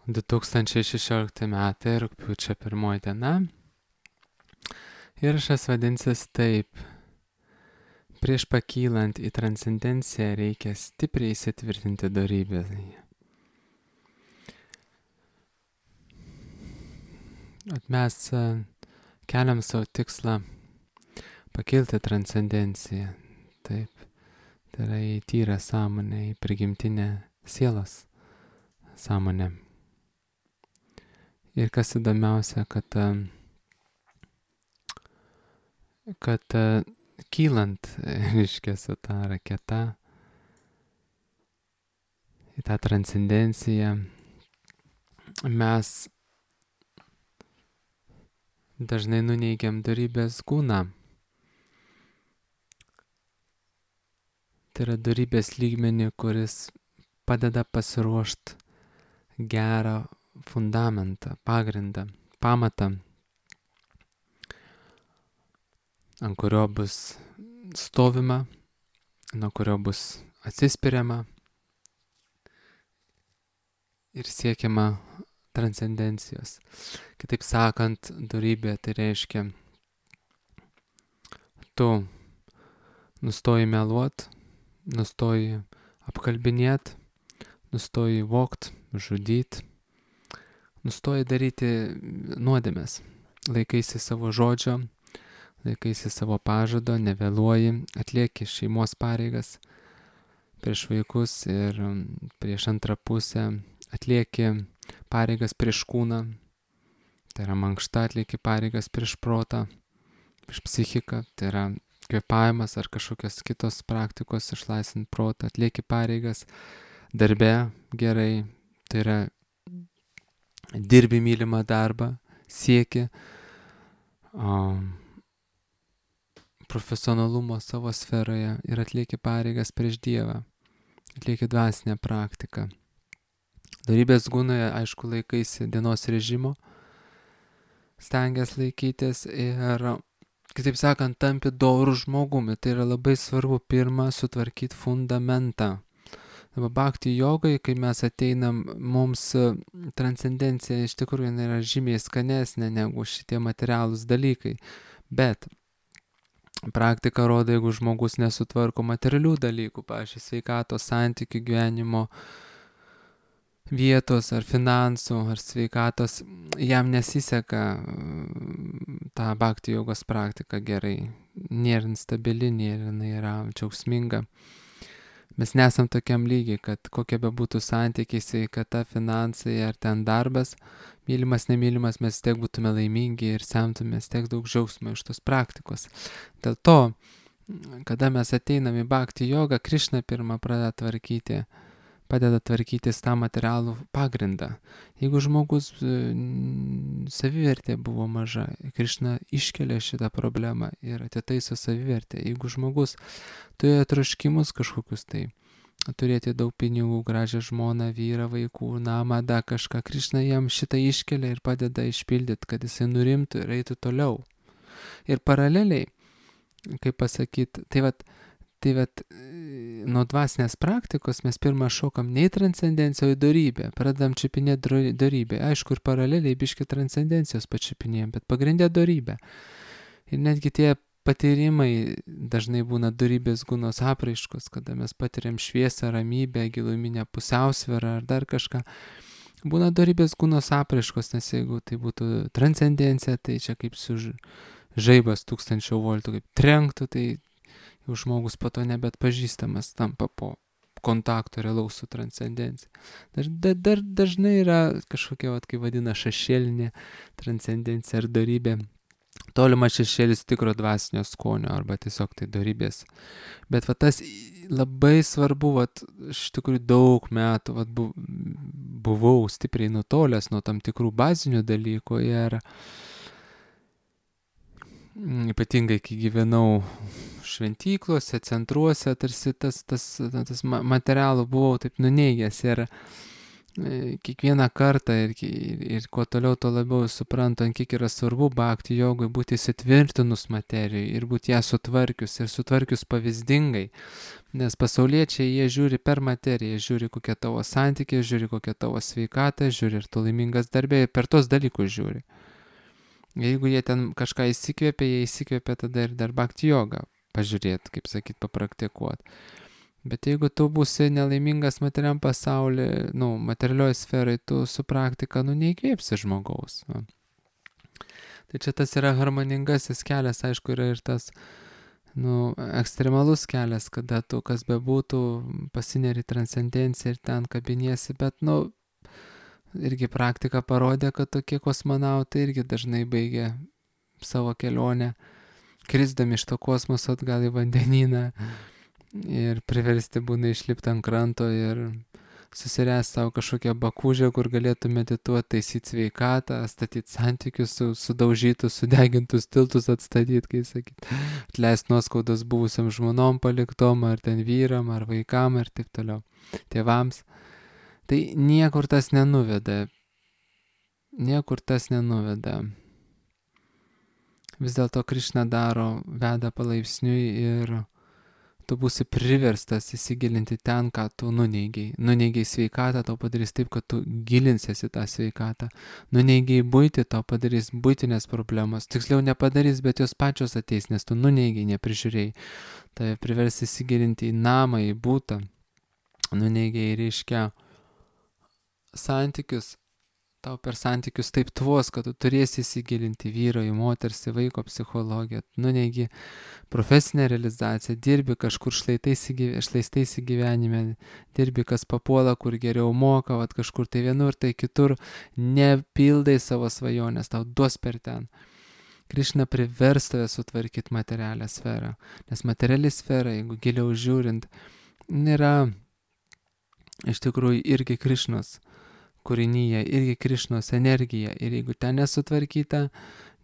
2016 metai, rugpjūčio 1 diena. Įrašas vadinsis taip. Prieš pakylant į transcendenciją reikia stipriai įsitvirtinti dorybėje. Mes keliam savo tikslą pakilti transcendenciją. Taip. Tai yra į tyrą sąmonę, į prigimtinę sielos sąmonę. Ir kas įdomiausia, kad kylant, reiškia, su ta raketa į tą transcendenciją, mes dažnai nuneigiam dorybės kūną. Tai yra dorybės lygmenį, kuris padeda pasiruošti gerą fundamentą, pagrindą, pamatą, ant kurio bus stovima, nuo kurio bus atsispiriama ir siekiama transcendencijos. Kitaip sakant, dorybė tai reiškia, tu nustoji meluot, nustoji apkalbinėt, nustoji vogt, žudyt, nustoji daryti nuodėmes, laikaisi savo žodžio, laikaisi savo pažado, nevėluoji, atlieki šeimos pareigas prieš vaikus ir prieš antrą pusę, atlieki pareigas prieš kūną, tai yra mankšta, atlieki pareigas prieš protą, prieš psichiką, tai yra kvėpavimas ar kažkokios kitos praktikos išlaisvinti protą, atlieki pareigas darbe gerai, tai yra dirbi mylimą darbą, sieki profesionalumo savo sferoje ir atlieki pareigas prieš Dievą, atlieki dvasinę praktiką. Dorybės gūnoje, aišku, laikaisi dienos režimo, stengiasi laikytis ir, kitaip sakant, tampi dorų žmogumi. Tai yra labai svarbu pirmą sutvarkyti fundamentą. Bhakti jogai, kai mes ateinam, mums transcendencija iš tikrųjų yra žymiai skanesnė negu šitie materialūs dalykai. Bet praktika rodo, jeigu žmogus nesutvarko materialių dalykų, pavyzdžiui, sveikatos, santykių, gyvenimo vietos ar finansų ar sveikatos, jam nesiseka tą bhakti jogos praktiką gerai. Nėra instabili, nėra džiaugsminga. Mes nesam tokiam lygiai, kad kokie bebūtų santykiai, sveikata, finansai ar ten darbas, mylimas, nemylimas, mes tiek būtume laimingi ir semtumės tiek daug džiaugsmo iš tos praktikos. Dėl to, kada mes ateinam į bhakti jogą, Krišna pirmą padeda tvarkytis tą materialų pagrindą. Jeigu žmogus savivertė buvo maža, Krišna iškelia šitą problemą ir atitaiso savivertę. Jeigu žmogus turėjo troškimus kažkokius tai, turėti daug pinigų, gražią žmoną, vyrą, vaikų, namą, dar kažką, Krišna jam šitą iškelia ir padeda išpildyti, kad jisai nurimtų ir eitų toliau. Ir paraleliai, kaip pasakyti, tai vat, nuo dvasinės praktikos mes pirmą šokam ne į transcendenciją, o į dorybę. Pradedam čiupinėti dorybę. Aišku, ir paraleliai biški transcendencijos pačiupinėjom, bet pagrindė dorybę. Ir netgi tie patyrimai dažnai būna dorybės gūnos apraiškos, kada mes patiriam šviesą, ramybę, giluminę pusiausvyrą ar dar kažką. Būna dorybės gūnos apraiškos, nes jeigu tai būtų transcendencija, tai čia kaip su žaibas 1000 voltų, kaip trenktų, tai jau žmogus po to nebeatpažįstamas tampa po kontakto realaus su transcendencija. Dar dažnai yra kažkokia, kaip vadina, šešėlinė transcendencija ar dorybė. Tolimas šešėlis tikro dvasinio skonio arba tiesiog tai dorybės. Bet tas labai svarbu, iš tikrųjų daug metų buvau stipriai nutolęs nuo tam tikrų bazinių dalykų ir ypatingai, kai gyvenau šventyklose, centruose, tarsi tas materialų buvau taip nuneigęs ir kiekvieną kartą ir kuo toliau, tuo labiau suprantant, kiek yra svarbu bhakti jogui būti įsitvirtinus materijai ir būti ją sutvarkius ir sutvarkius pavyzdingai. Nes pasauliečiai jie žiūri per materiją, žiūri kokia tavo santykė, žiūri kokia tavo sveikata, žiūri ir tu laimingas darbė, per tos dalykus žiūri. Jeigu jie ten kažką įsikvėpia, jie įsikvėpia tada ir dar bhakti jogą pažiūrėti, kaip sakyt, papraktikuoti. Bet jeigu tu būsi nelaimingas materialiam pasaulyje, materialioje sferai, tu su praktika, neįkvėpsi žmogaus. Va. Tai čia tas yra harmoningasis kelias, aišku, yra ir tas, ekstremalus kelias, kada tu, kas bebūtų, pasineri transcendenciją ir ten kabiniesi, bet, irgi praktika parodė, kad tokie kosmonautai irgi dažnai baigia savo kelionę, krisdami iš to kosmoso atgal į vandenyną. Ir priversti būna išlipti ant kranto ir susiręsti savo kažkokią bakūžę, kur galėtų medituoti, taisyti sveikatą, statyti santykius, sudaužytus, sudegintus tiltus atstatyti, kaip sakyti, atleisti nuoskaudas buvusiam žmonom paliktom, ar ten vyram, ar vaikam, ir taip toliau, tėvams. Tai niekur tas nenuveda. Niekur tas nenuveda. Vis dėlto Krišna veda palaipsniui ir tu būsi priverstas įsigilinti ten, ką tu nuneigiai. Nuneigiai sveikatą, tau padarys taip, kad tu gilinsiesi tą sveikatą. Nuneigiai buitį, tau padarys buitinės problemos. Tiksliau nepadarys, bet jos pačios ateis, nes tu nuneigiai, neprižiūrėjai. Tai privers įsigilinti į namą, į būtą. Nuneigiai reiškia santykius. Tau per santykius taip tvos, kad tu turėsi įsigilinti vyro, į moters, į vaiko psichologiją. Nuneigi profesinę realizaciją, dirbi kažkur šlaistais į gyvenime, dirbi kas papuola, kur geriau moka, kažkur tai vienur, tai kitur, nepildai savo svajonės, tau duos per ten. Krišna privers tave sutvarkyti materialią sferą, nes materiali sfera, jeigu giliau žiūrint, nėra iš tikrųjų irgi Krišnos kūrinyje, irgi Krišnos energija. Ir jeigu ten nesutvarkyta,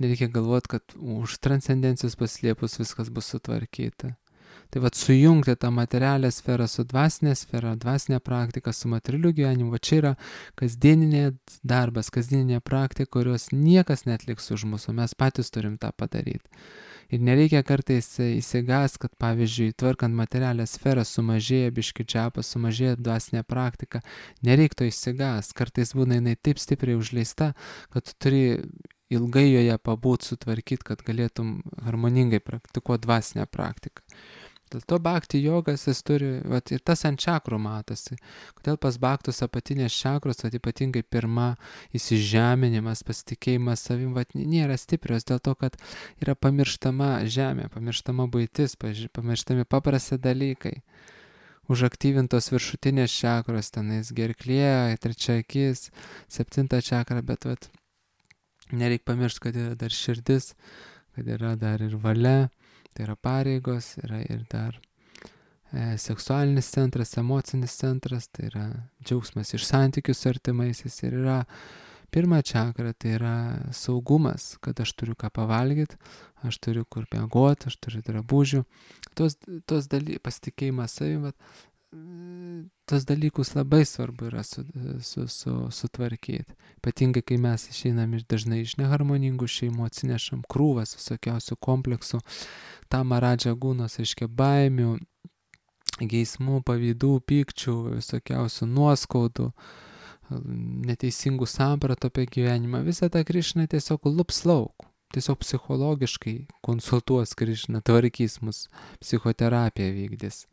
nereikia galvoti, kad už transcendencijos paslėpus viskas bus sutvarkyta. Tai sujungti tą materialią sferą su dvasinė sfera, dvasinė praktika, su materialiu gyvenimu, čia yra kasdieninė darbas, kasdieninė praktika, kurios niekas netliks už mūsų, mes patys turim tą padaryti. Ir nereikia kartais įsigas, kad pavyzdžiui, tvarkant materialią sferą sumažėja biški džapas, sumažėja dvasinė praktika. Nereiktų įsigas, kartais būna jinai taip stipriai užleista, kad tu turi ilgai joje pabūt, sutvarkyti, kad galėtum harmoningai praktikuoti dvasinę praktiką. Dėl to bhakti jogas jis turi, ir tas ant čakrų matosi. Kodėl pas bhaktus apatinės čakros, ypatingai pirma įsižeminimas, pasitikėjimas savim, nėra stiprios, dėl to, kad yra pamirštama žemė, pamirštama buitis, pamirštami paprasti dalykai. Užaktyvintos viršutinės čakros, tenais gerklė, trečia akis, 7 čakra, bet nereik pamiršti, kad yra dar širdis, kad yra dar ir valia. Tai yra pareigos, yra ir dar seksualinis centras, emocinis centras, tai yra džiaugsmas iš santykių su artimaisiais. Ir yra pirma čakra, tai yra saugumas, kad aš turiu ką pavalgyti, aš turiu kur miegoti, aš turiu drabužių. Tos pasitikėjimas savim, tos dalykus labai svarbu yra sutvarkyti. Ypatingai, kai mes išeinam dažnai iš neharmoningų šeimų, atsinešam krūvas visokiausių kompleksų, tamaradža gūnos, reiškia baimių, geismų, pavydų, pykčių, visokiausių nuoskaudų, neteisingų sampratų apie gyvenimą. Visą tą Krišna tiesiog lups lauk, tiesiog psichologiškai konsultuos Krišna, tvarkys mus, psichoterapiją vykdys.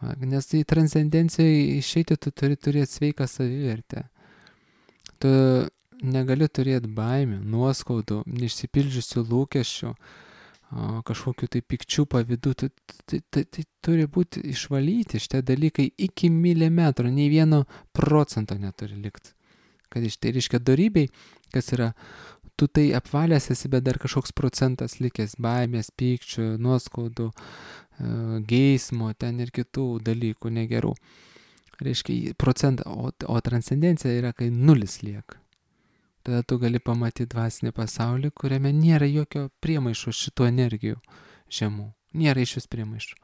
Nes į transcendenciją išeiti tu turi turėti sveiką savivertę. Tu negali turėti baimių, nuoskaudų, neišsipildžiusių lūkesčių, kažkokių tai pikčių pavydų. Tai turi būti išvalyti šitie dalykai iki milimetro, nei 1% neturi likti. Kad iš tai reiškia dorybei, kas yra, tu tai apvalęs esi, bet dar kažkoks procentas likęs baimės, pykčių, nuoskaudų, geismo, ten ir kitų dalykų negerų. Reiškia procentą, o transcendencija yra, kai 0 lieka. Tada tu gali pamatyti dvasinį pasaulį, kuriame nėra jokio priemaišo šitų energijų žemų. Nėra iš vis priemaišų.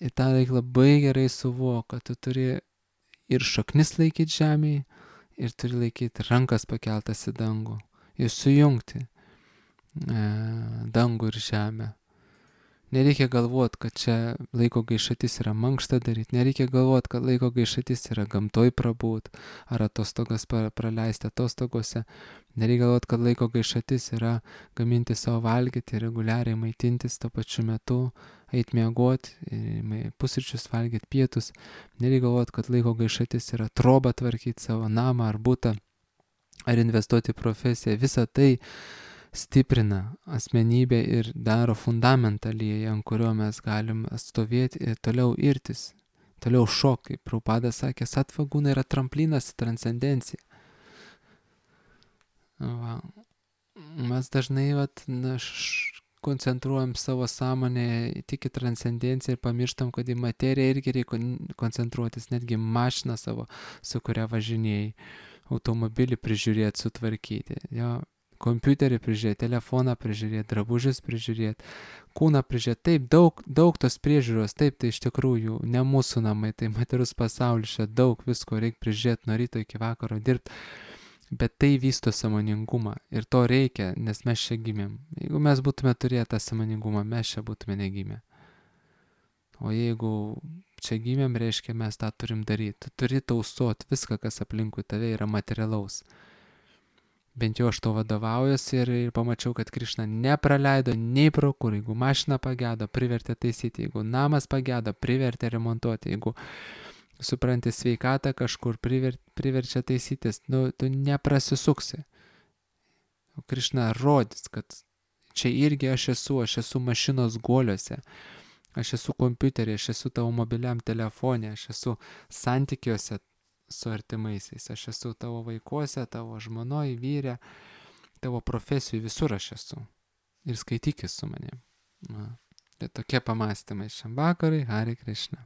Ir tą reikia labai gerai suvokti, kad tu turi ir šaknis laikyti žemėje, ir turi laikyti rankas pakeltas į dangų. Ir sujungti dangų ir žemę. Nereikia galvoti, kad čia laiko gaišatis yra mankštą daryti, nereikia galvoti, kad laiko gaišatis yra gamtoj prabūt, ar atostogas praleisti atostogose, nereikia galvoti, kad laiko gaišatis yra gaminti savo valgyti, reguliariai maitintis tuo pačiu metu, eit miegoti, pusryčius valgyti, pietus, nereikia galvoti, kad laiko gaišatis yra trobą tvarkyti savo namą ar butą, ar investuoti į profesiją, visą tai stiprina asmenybę ir daro fundamentą lieja, ant kurio mes galim stovėti ir toliau irtis, toliau šokti. Kaip Prabhupada sakė, sattva guna yra tramplinas į transcendenciją. Va. Mes dažnai koncentruojam savo sąmonę tik į transcendenciją ir pamirštam, kad į materiją irgi reikia koncentruotis, netgi mašiną savo, su kuria važinėjai, automobilį prižiūrėti, sutvarkyti. Jo. Kompiuterį prižiūrėti, telefoną prižiūrėti, drabužius prižiūrėti, kūną prižiūrėti. Taip, daug tos priežiūros, taip, tai iš tikrųjų ne mūsų namai, tai materialus pasaulis, čia daug visko reikia prižiūrėti nuo ryto iki vakaro dirbti, bet tai vysto sąmoningumą ir to reikia, nes mes čia gimėm. Jeigu mes būtume turėję tą sąmoningumą, mes čia būtume negimę. O jeigu čia gimėm, reiškia, mes tą turim daryti. Tu turi tausoti viską, kas aplinkui tave yra materialaus. Bent jau aš to vadovaujuosi ir pamačiau, kad Krišna nepraleido nei pro kur. Jeigu mašina pagedo, privertė taisyti. Jeigu namas pagedo, privertė remontuoti. Jeigu supranti sveikatą kažkur, priverčia taisytis, tu neprasisuksi. O Krišna rodys, kad čia irgi aš esu mašinos guoliuose. Aš esu kompiuterį, aš esu tavo mobiliam telefone, aš esu santykiuose su artimaisiais, aš esu tavo vaikuose, tavo žmonoj, vyre, tavo profesijų, visur aš esu. Ir skaitykis su manim. Tai tokie pamąstymai šiam vakarui, Hare Krishna.